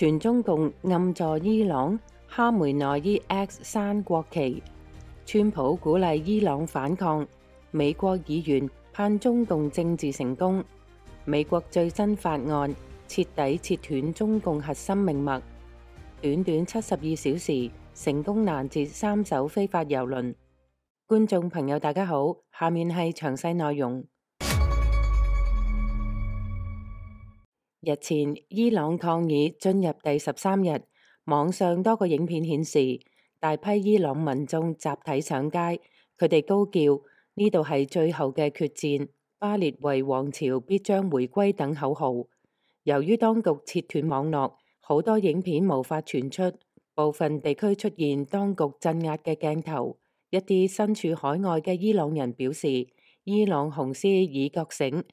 全中共暗助伊朗，哈梅內伊 X 山國旗。川普鼓勵伊朗反抗，美國議員盼中共政治成功。美國最新法案徹底切斷中共核心命脈。短短72小時成功攔截3艘非法郵輪。觀眾朋友大家好，下面係詳細內容。日前，伊朗抗議進入第13日，網上多個影片顯示，大批伊朗民眾集體上街，佢哋高叫呢度係最後嘅決戰，巴列維王朝必將回歸等口號。由於當局切斷網絡，好多影片無法傳出，部分地區出現當局鎮壓嘅鏡頭。一啲身處海外嘅伊朗人表示，伊朗紅絲已覺醒。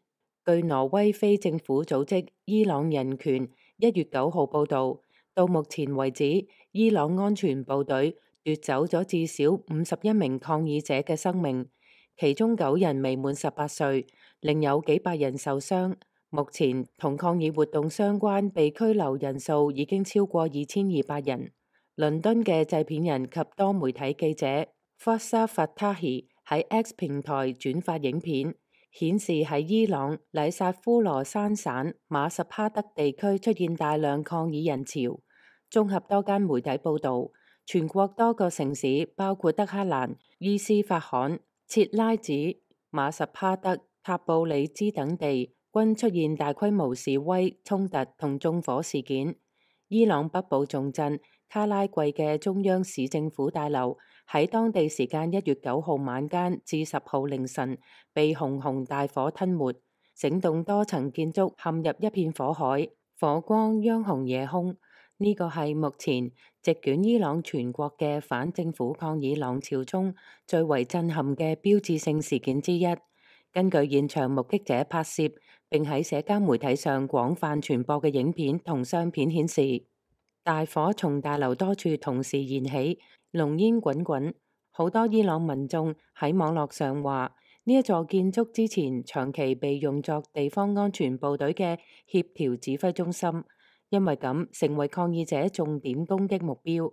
據挪威非政府組織伊朗人權1月9號報道，到目前為止，伊朗安全部隊奪走咗至少51名抗議者嘅生命，其中9人未滿18歲，另有幾百人受傷。目前同抗議活動相關被拘留人數已經超過2200人。倫敦嘅製片人及多媒體記者Fassa Fatahi 喺 X 平台轉發影片，顯示喺伊朗禮薩夫羅珊省馬什哈德地區出現大量抗議人潮。綜合多間媒體報導，全國多個城市包括德黑蘭、伊斯法罕、切拉子、馬什哈德、塔布里茲等地均出現大規模示威衝突同縱火事件。伊朗北部重鎮卡拉季嘅中央市政府大樓喺當地時間1月9號晚間至10號凌晨被熊熊大火吞沒，整棟多層建築陷入一片火海，火光央紅夜空。呢個係目前席捲伊朗全國嘅反政府抗議浪潮中最為震撼嘅標誌性事件之一。根據現場目擊者拍攝並喺社交媒體上廣泛傳播嘅影片同相片顯示，大火從大樓多處同時燃起，濃煙滾滾。好多伊朗民眾喺網絡上話，呢一座建築之前長期被用作地方安全部隊嘅協調指揮中心，因為咁成為抗議者重點攻擊目標。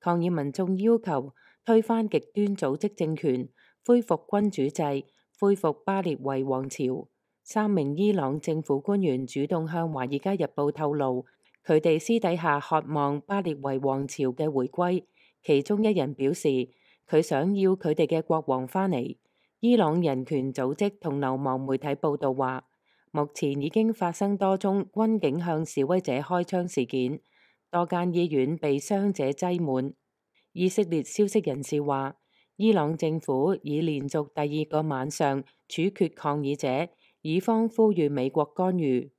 抗議民眾要求推翻極端組織政權，恢復君主制，恢復巴列維王朝。3名伊朗政府官員主動向《華爾街日報》透露，佢哋私底下渴望巴列維王朝嘅回歸。其中一人表示，佢想要佢哋嘅國王返嚟。伊朗人權組織同流亡媒體報道話，目前已經發生多宗軍警向示威者開槍事件，多間醫院被傷者擠滿。以色列消息人士話，伊朗政府已連續第2個晚上處決抗議者，以方呼籲美國干預。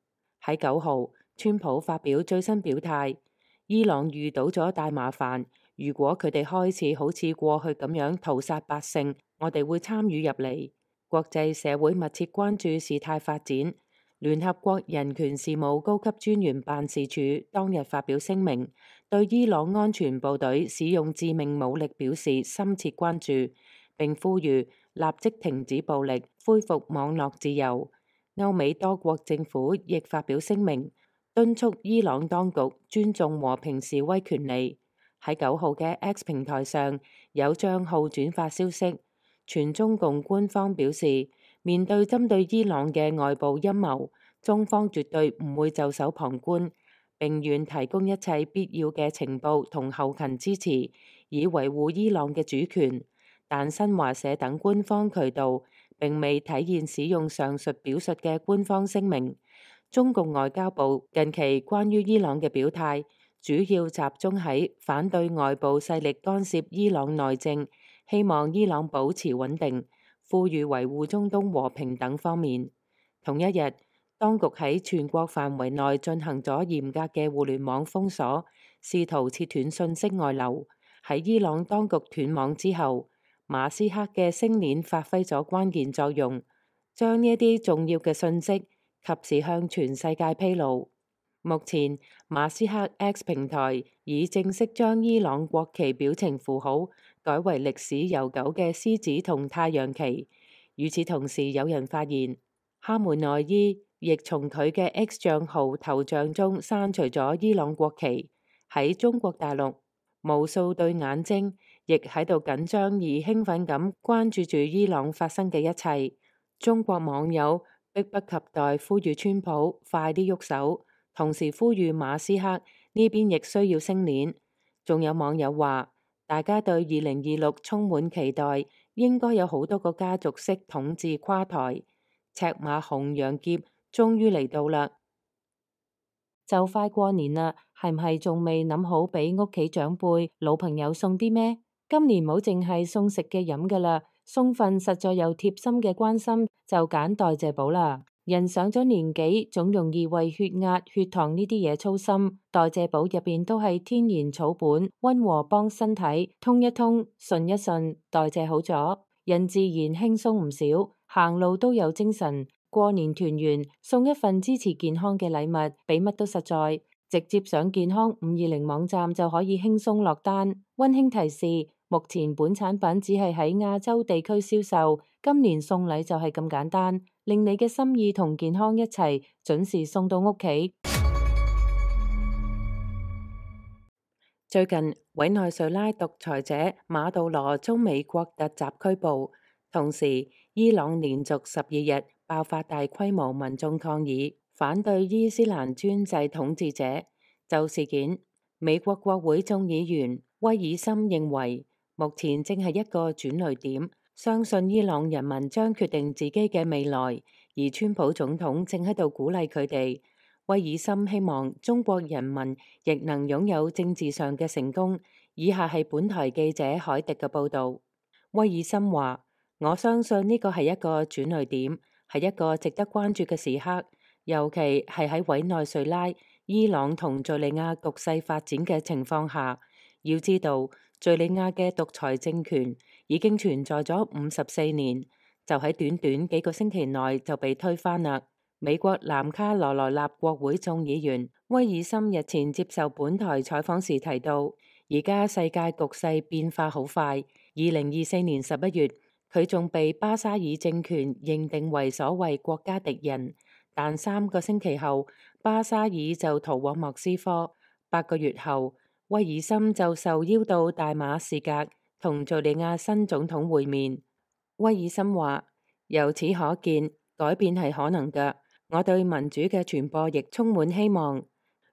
喺9號，川普發表最新表態，伊朗遇到咗大麻煩，如果佢哋開始好似過去咁樣屠殺百姓，我哋會參與入嚟。國際社會密切關注事態發展。聯合國人權事務高級專員辦事處當日發表聲明，對伊朗安全部隊使用致命武力表示深切關注，並呼籲立即停止暴力，恢復網絡自由。歐美多國政府亦發表聲明，敦促伊朗當局尊重和平示威權利。喺9號嘅 X 平台上，有帳號轉發消息，全中共官方表示，面對針對伊朗嘅外部陰謀，中方絕對唔會袖手旁觀，並願提供一切必要嘅情報同後勤支持，以維護伊朗嘅主權。但新華社等官方渠道並未體現使用上述表述嘅官方聲明。中共外交部近期關於伊朗嘅表態，主要集中喺反對外部勢力干涉伊朗內政，希望伊朗保持穩定，呼籲維護中東和平等方面。同一日，當局喺全國範圍內進行咗嚴格嘅互聯網封鎖，試圖切斷信息外流。喺伊朗當局斷網之後，馬斯克嘅星鏈發揮咗關鍵作用，將呢一啲重要嘅信息及時向全世界披露。目前，馬斯克 X 平台已正式將伊朗國旗表情符號改為歷史悠久嘅獅子同太陽旗。與此同時，有人發現哈梅內伊亦從佢嘅 X 帳號頭像中刪除咗伊朗國旗。喺中國大陸，無數對眼睛亦喺度緊張而興奮咁關注住伊朗發生嘅一切。中國網友迫不及待呼籲川普快啲喐手，同時呼籲馬斯克呢邊亦需要升鏈。仲有網友話，大家對2026充滿期待，應該有好多個家族式統治垮台。赤馬紅羊劫終於嚟到啦！就快過年啦，係唔係仲未諗好俾屋企長輩、老朋友送啲咩？今年冇淨係送食嘅飲噶啦，送份實在又貼心嘅關心，就揀代謝寶啦。人上咗年紀，總容易為血壓、血糖呢啲嘢操心。代謝寶入邊都係天然草本，溫和幫身體通一通、順一順，代謝好咗，人自然輕鬆唔少，行路都有精神。過年團圓，送一份支持健康嘅禮物，比乜都實在。直接上健康520網站就可以輕鬆落單。溫馨提示：目前本產品只係喺亞洲地區銷售，今年送禮就係咁簡單，令你嘅心意同健康一齊準時送到屋企。最近，委內瑞拉獨裁者馬杜羅遭美國突襲拘捕，同時伊朗連續12日爆發大規模民眾抗議，反對伊斯蘭專制統治者。就事件，美國國會眾議員威爾森認為，目前正係一個轉捩點，相信伊朗人民將決定自己嘅未來，而川普總統正喺度鼓勵佢哋。威爾森希望中國人民亦能擁有政治上嘅成功。以下係本台記者海迪嘅報導。威爾森話：我相信呢個係一個轉捩點，係一個值得關注嘅時刻，尤其係喺委內瑞拉、伊朗同敘利亞局勢發展嘅情況下。要知道，敘利亞嘅獨裁政權已經存在咗54年，就喺短短幾個星期內就被推翻啦。美國南卡羅來納國會眾議員威爾森日前接受本台採訪時提到，而家世界局勢變化好快。2024年11月，佢仲被巴沙爾政權認定為所謂國家敵人，但3個星期後，巴沙爾就逃往莫斯科。8個月後，威爾森就受邀到大馬士革同敘利亞新總統會面。威爾森話：由此可見，改變係可能㗎。我對民主嘅傳播亦充滿希望。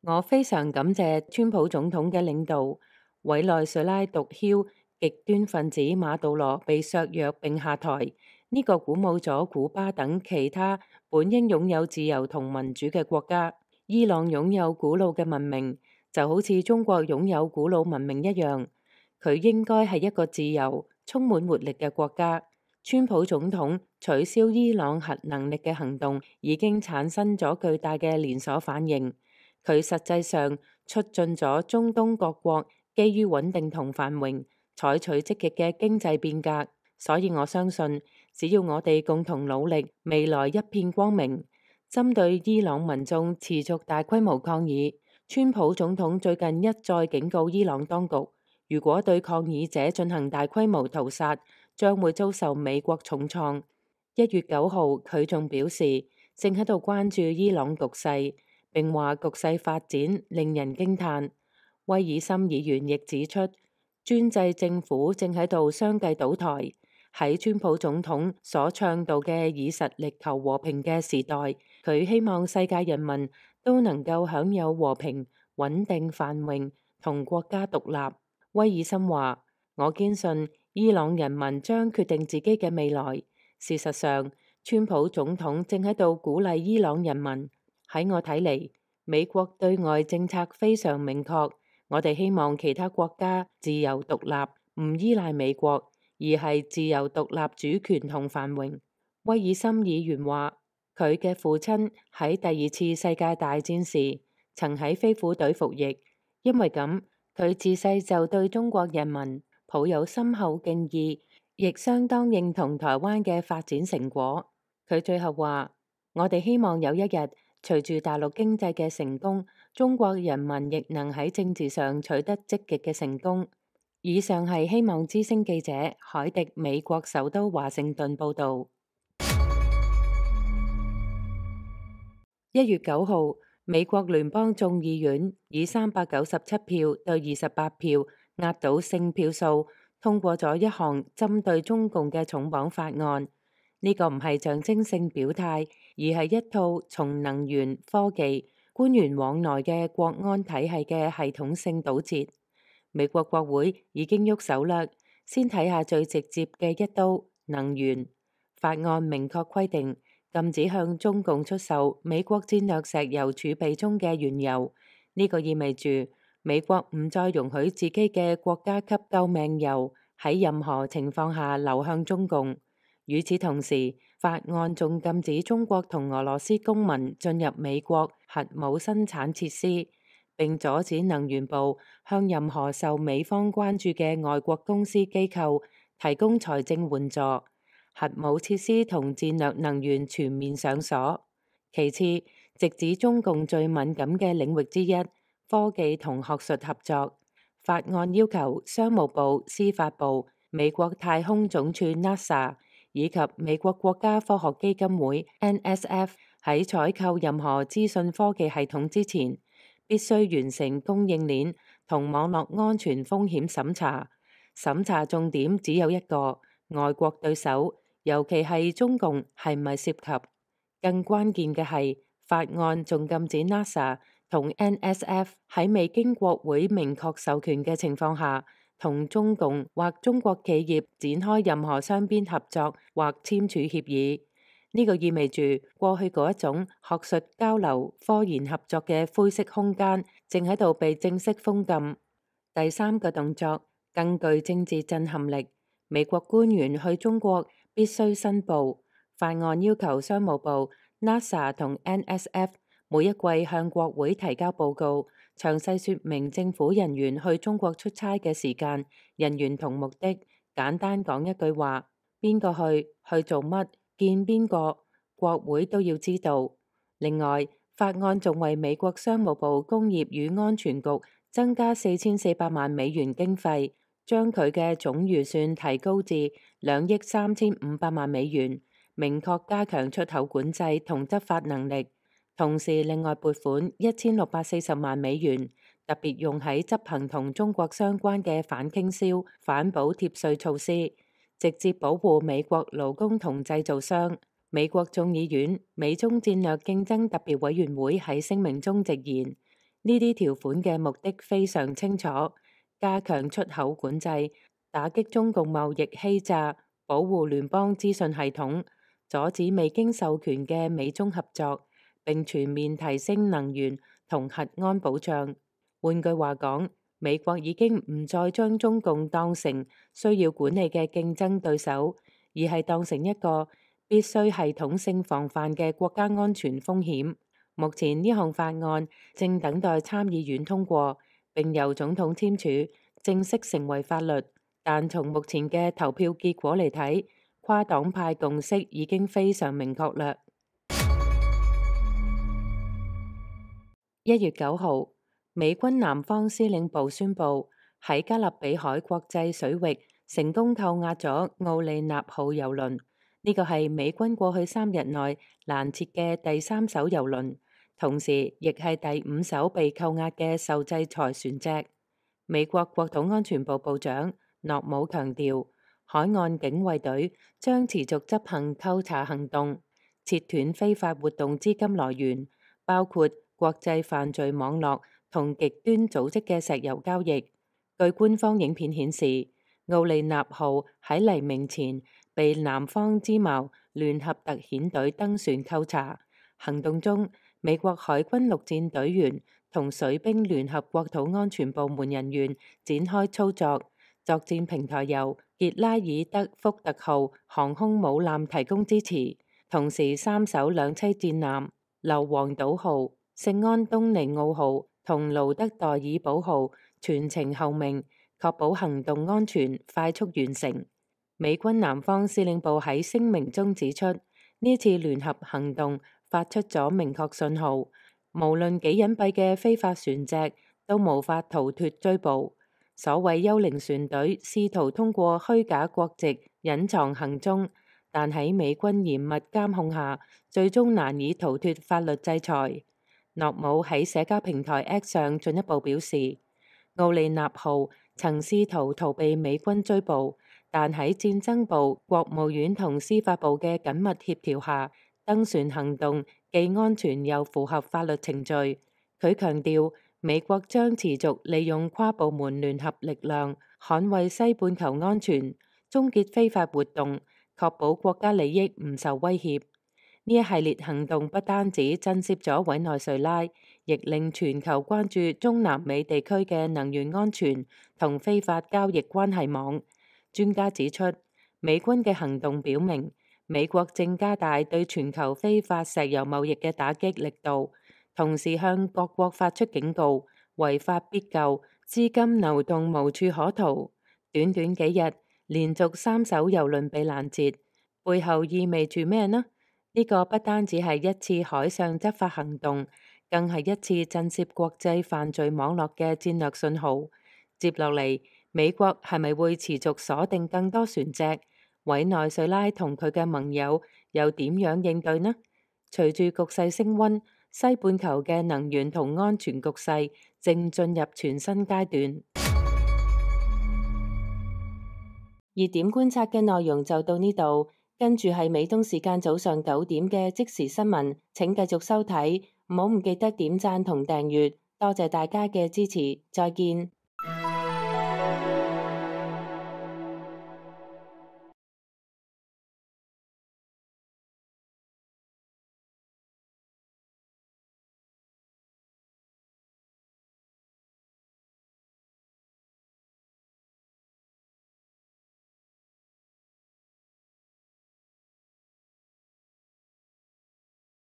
我非常感謝川普總統嘅領導，委內瑞拉毒梟極端分子馬杜羅被削弱並下台，呢個鼓舞咗古巴等其他本應擁有自由同民主嘅國家。伊朗擁有古老嘅文明，就好似中國擁有古老文明一樣，佢應該係一個自由、充滿活力嘅國家。川普總統取消伊朗核能力嘅行動已經產生咗巨大嘅連鎖反應，佢實際上促進咗中東各國基於穩定同繁榮，採取積極嘅經濟變革。所以我相信，只要我哋共同努力，未來一片光明。針對伊朗民眾持續大規模抗議，川普總統最近一再警告伊朗當局，如果對抗議者進行大規模屠殺，將會遭受美國重創。1月9號，佢仲表示正喺度關注伊朗局勢，並話局勢發展令人驚嘆。威爾森議員亦指出，專制政府正喺度相繼倒台。喺川普總統所倡導嘅以實力求和平嘅時代，佢希望世界人民都能夠享有和平、穩定、繁榮同國家獨立。威爾森話：我堅信伊朗人民將決定自己嘅未來。事實上，川普總統正喺度鼓勵伊朗人民。喺我睇嚟，美國對外政策非常明確，我哋希望其他國家自由獨立，唔依賴美國，而係自由獨立、主權同繁榮。威爾森議員話，佢嘅父親喺第2次世界大戰時曾喺飛虎隊服役，因為咁，佢自細就對中國人民抱有深厚敬意，亦相當認同台灣嘅發展成果。佢最後話：我哋希望有一日，隨住大陸經濟嘅成功，中國人民亦能喺政治上取得積極嘅成功。以上係希望之聲記者海迪美國首都華盛頓報道。1月9號，美國聯邦眾議院以397票對28票壓倒性票數通過咗一項針對中共嘅重磅法案。呢個唔係象徵性表態，而係一套從能源、科技、官員往來嘅國安體系嘅系統性堵截。美國國會已經喐手啦，先睇下最直接嘅一刀，能源法案明確規定，禁止向中共出售美國戰略石油儲備中嘅原油。呢個意味住美國唔再容許自己嘅國家級救命油喺任何情況下流向中共。與此同時，法案仲禁止中國同俄羅斯公民進入美國核武生產設施，並阻止能源部向任何受美方關注嘅外國公司機構提供財政援助。核武設施同戰略能源全面上鎖。其次，直指中共最敏感嘅領域之一，科技同學術合作。法案要求商務部、司法部、美國太空總署 NASA 以及美國國家科學基金會 NSF 喺採購任何資訊科技系統之前，必須完成供應鏈同網絡安全風險審查。審查重點只有一個：外國對手，尤其係中共係咪涉及。更關鍵嘅係，法案仲禁止 NASA 同 NSF 喺未經國會明確授權嘅情況下，同中共或中國企業展開任何雙邊合作或簽署協議。呢個意味住過去嗰一種學術交流、科研合作嘅灰色空間，正喺度被正式封禁。第三個動作更具政治震撼力，美國官員去中國必須申報。法案要求商務部、NASA 同 NSF 每一季向國會提交報告，詳細說明政府人員去中國出差嘅時間、人員同目的。簡單講一句話：邊個去做乜、見邊個，國會都要知道。另外，法案仲為美國商務部工業與安全局增加4400萬美元經費，將佢嘅總預算提高至2億3500萬美元，明確加強出口管制同執法能力。同時，另外撥款1640萬美元，特別用喺執行同中國相關嘅反傾銷、反補貼稅措施，直接保護美國勞工同製造商。美國眾議院美中戰略競爭特別委員會喺聲明中直言，呢啲條款嘅目的非常清楚：加強出口管制，打擊中共貿易欺詐，保護聯邦資訊系統，阻止未經授權嘅美中合作，並全面提升能源同核安保障。換句話講，美國已經唔再將中共當成需要管理嘅競爭對手，而係當成一個必須系統性防範嘅國家安全風險。目前呢項法案正等待參議院通過，並由總統簽署，正式成為法律。但從目前嘅投票結果嚟睇，跨黨派共識已經非常明確啦。1月9號，美軍南方司令部宣布喺加勒比海國際水域成功扣押咗奧利納號郵輪。呢個係美軍過去3日內攔截嘅第3艘郵輪，同時亦係第5艘被扣押嘅受制裁船隻。美國國土安全部部長諾姆強調，海岸警衛隊將持續執行扣查行動，切斷非法活動資金來源，包括國際犯罪網絡同極端組織嘅石油交易。據官方影片顯示，奧利納號喺黎明前被南方之矛聯合特遣隊登船扣查。行動中，美國海軍陸戰隊員同水兵聯合國土安全部門人員展開操作。作戰平台由傑拉爾德福特號航空母艦提供支持，同時3艘兩棲戰艦硫磺島號、聖安東尼奧號同盧德代爾堡號全程候命，確保行動安全快速完成。美軍南方司令部喺聲明中指出，呢次聯合行動發出咗明確信號，無論幾隱蔽嘅非法船隻都無法逃脫追捕。所謂幽靈船隊試圖通過虛假國籍隱藏行蹤，但喺美軍嚴密監控下，最終難以逃脫法律制裁。諾姆喺社交平台 X 上進一步表示，奧利納號曾試圖逃避美軍追捕，但喺戰爭部、國務院同司法部嘅緊密協調下，登船行動既安全又符合法律程序。佢強調，美國將持續利用跨部門聯合力量，捍衛西半球安全，終結非法活動，確保國家利益唔受威脅。呢一系列行動不單止震懾咗委內瑞拉，亦令全球關注中南美地區嘅能源安全同非法交易關係網。專家指出，美軍嘅行動表明，美國正加大對全球非法石油貿易嘅打擊力度，同時向各國發出警告：違法必究，資金流動無處可逃。短短幾日，連續3艘油輪被攔截，背後意味住咩呢？呢個不單止係一次海上執法行動，更係一次震懾國際犯罪網絡嘅戰略信號。接落嚟，美國係咪會持續鎖定更多船隻？委內瑞拉同佢嘅盟友又點樣應對呢？隨住局勢升溫，西半球嘅能源同安全局勢正進入全新階段。熱點觀察嘅內容就到呢度。跟住係美東時間早上9點嘅即時新聞，請繼續收睇，唔好唔記得點讚同訂閱，多謝大家嘅支持，再見。